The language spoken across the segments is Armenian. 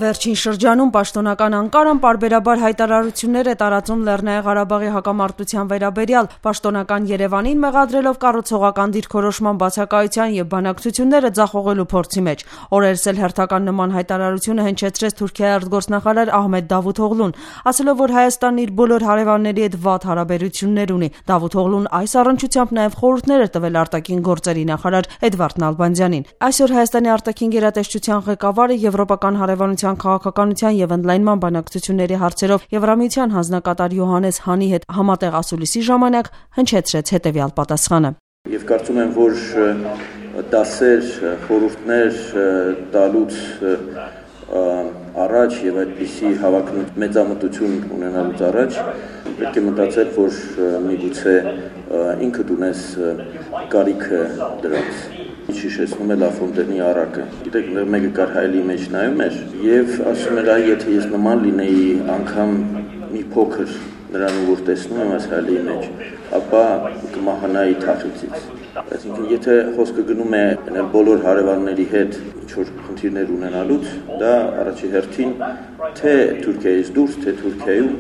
Վերջին շրջանում պաշտոնական Անկարան պարբերաբար հայտարարություններ է տարածում Լեռնային Ղարաբաղի հակամարտության վերաբերյալ, պաշտոնական Երևանին մեղադրելով կառուցողական դիրքորոշման բացակայության և բանակցությունները ձախողելու փորձի մեջ։ Օրերս էլ հերթական նման հայտարարությունը հնչեցրեց Թուրքիայի արտգործնախարար Ահմեդ Դավութօղլուն, ասելով, որ Հայաստանն իր բոլոր հարևանների հետ վատ հարաբերություններ ունի։ Դավութօղլուն այս առնչությամբ նաև խորհուրդներ է տվել արտաքին գործերի նախարար Էդվարդ Նալբանդյանին։ Այսօր Հայաստանի արտաքին գերատեսչության ղեկավարը եվրոպական հարևանության քաղաքականության և ընդլայնման բանակցությունների հարցերով Եվրամիության հանձնակատար Յոհաննես Հանի հետ համատեղ ասուլիսի ժամանակ հնչեցրեց հետևյալ պատասխանը. Եվ կարծում եմ, որ դասեր, խորհուրդներ տալուց առաջ եւ այդպիսի հավակնոտ մեծամտություն ունենալուց առաջ պետք է մտածել, որ միգուցե ինքդ ունես կարիքը դրանց։ Հիշեցնում է Լաֆոնտենի առակը։ Գիտեք, մեկը կար հայելի մեջ նայում էր եւ ասում էր, եթե ես նման լինեի անգամ մի փոքր նրան որ տեսնում եմ այս հայելի մեջ, ապա կմահանայի թախիծից։ Այսինքն, եթե խոսքը գնում է բոլոր հարևանների հետ ինչ-որ խնդիրներ ունենալուց, դա առաջի հերթին թե Թուրքիայից դուրս, թե Թուրքիայում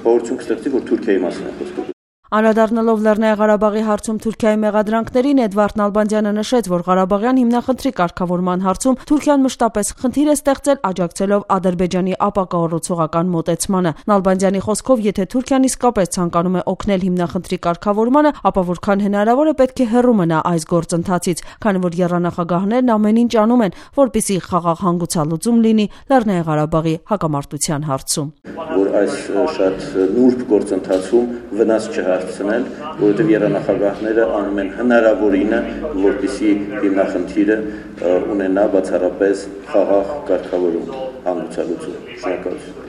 փորձում կստեղծի, որ Թուրքիայի մասին է խոսքը։ Անդրադառնալով Լեռնային Ղարաբաղի հարցում Թուրքիայի մեղադրանքներին, Էդվարդ Նալբանդյանը նշեց, որ Ղարաբաղյան հիմնախնդրի կարգավորման հարցում Թուրքիան մշտապես խնդիր է ստեղծել, աջակցելով Ադրբեջանի ապակառուցողական մոտեցմանը։ Նալբանդյանի խոսքով, եթե Թուրքիան իսկապես ցանկանում է օգնել հիմնախնդրի կարգավորմանը, ապա որքան հնարավոր է պետք է հեռու մնա այս գործընթացից, քանի որ եռանախագահներն ամեն ինչ անում են, որպեսզի խաղաղ հանգուցալուծում լինի Լեռնային Ղարաբաղի հակամարտության հարցում։ Որ այս շատ նուրբ գործընթացում վնաս չհասցնել, որովհետև եռանախագահները անում են հնարավորինը, որպեսզի հիմնախնդիրը ունենա բացառապես խաղաղ կարգավորում, հանգուցալուծում։ Շնորհակալություն։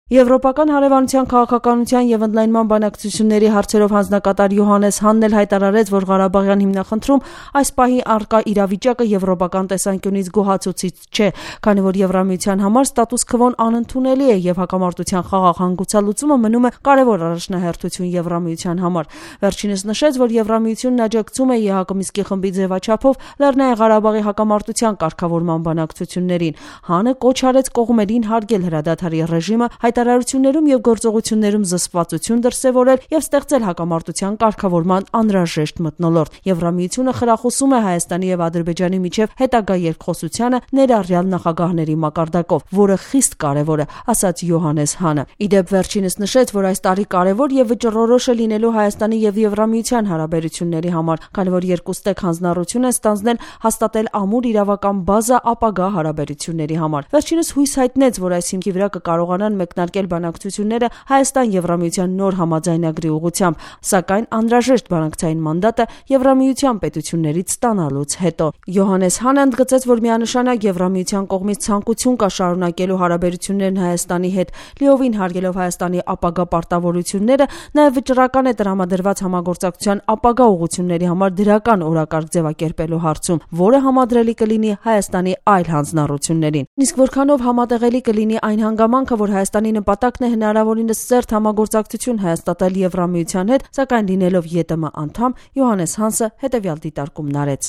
Եվրոպական հարևանության քաղաքականության և ընդլայնման բանակցությունների հարցերով հանձնակատար Յոհաննես Հանն էլ հայտարարեց, որ Ղարաբաղյան հիմնախնդրում այս պահի առկա իրավիճակը եվրոպական տեսանկյունից գոհացուցիչ չէ, քանի որ Եվրամիության համար ստատուս քվոն անընդունելի է և հակամարտության խաղաղ հանգուցալուծումը մնում է կարևոր առաջնահերթություն Եվրամիության համար։ Վերջինս նշեց, որ Եվրամիությունն աջակցում է ԵՀԿ Մինսկի խմբի ձևաչափով Լեռնային Ղարաբաղի հակամարտության կարգավորման բանակցություններին։ Հանը կոչ արեց կողմերին հարգել հրադադարի ռեժիմը, հայտարարություններում և գործողություններում զսպվածություն դրսևորել և ստեղծել հակամարտության կարգավորման անհրաժեշտ մթնոլորտ։ Եվրամիությունը խրախուսում է Հայաստանի և Ադրբեջանի միջև հետագա երկխոսությանը ներառյալ նախագահների մակարդակով, որը խիստ կարևոր է, ասաց Յոհաննես Հանը։ Իդեպ վերջինս նշեց, որ այս տարի կարևոր և վճռորոշ է լինելու Հայաստանի և Եվրամիության հարաբերությունների համար, քանի որ երկուստեք հանձնառություն են ստանձնել հաստատել ամուր իրավական բազա ապագա հարաբերությունների համար։ Վերջինս հույս հայտնեց, որ այս հիմքի վրա կկարողանան մեկնարկել բանակցությունները Հայաստան-Եվրամիության նոր համաձայնագրի ուղղությամբ, սակայն անհրաժեշտ բանակցային մանդատը Եվրամիության պետություններից ստանալուց հետո։ Յոհաննես Հանը ընդգծեց, որ միանշանակ Եվրամիության կողմից ցանկություն կա շարունակելու հարաբերություններն Հայաստանի հետ, լիովին հարգելով Հայաստանի ապագա պարտավորությունները, նաև վճռական է տրամադրված համագործակցության ապագա ուղղությունների համար դրական օրակարգ ձևակերպելու հարցում, որը համադրելի կլինի Հայաստանի այլ հանձնառություններին։ Իսկ որքանով համատեղելի կլինի այն հանգամանքը, որ Հայաստանի նպատակն է հնարավորինս սերտ համագործակցություն հաստատել Եվրամիության հետ, սակայն լինելով ԵՏՄ անդամ, Յոհաննես Հանսը հետևյալ դիտարկումն արեց։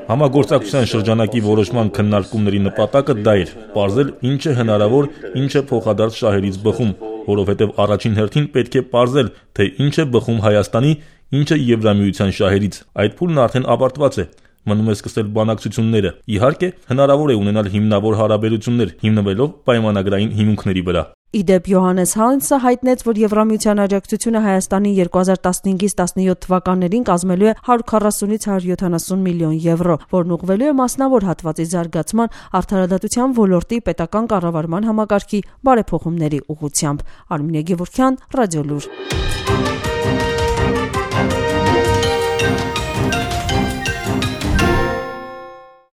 Համագործակցության շրջանակի որոշման քննարկումների նպատակը դա էր՝ պարզել ինչ է հնարավոր, ինչ է փոխադարձ շահերից բխում, որովհետև առաջին հերթին պետք է պարզել, թե ինչ է բխում Հայաստանի, ինչը Եվրամիության շահերից։ Այդ փուլն արդեն ավարտված է։ Մնում է սկսել բանակցությունները։ Իհարկե, հնարավոր է ունենալ հիմնավոր հարաբերություններ, հիմնվելով պայմանագրային հիմունքների վրա։ Իդեպ Յոհաննես Հանսը հայտնեց, որ Եվրամիության աջակցությունը Հայաստանի 2015-17 թվականներին կազմելու է 140-ից 170 միլիոն եվրո, որն ուղղվելու է մասնավոր հատվածի զարգացման, արդարադատության ոլորտի պետական կառավարման համակարգի բարեփոխումների ուղղությամբ։ Արմինե Գևորգյան, Ռադիոլուր։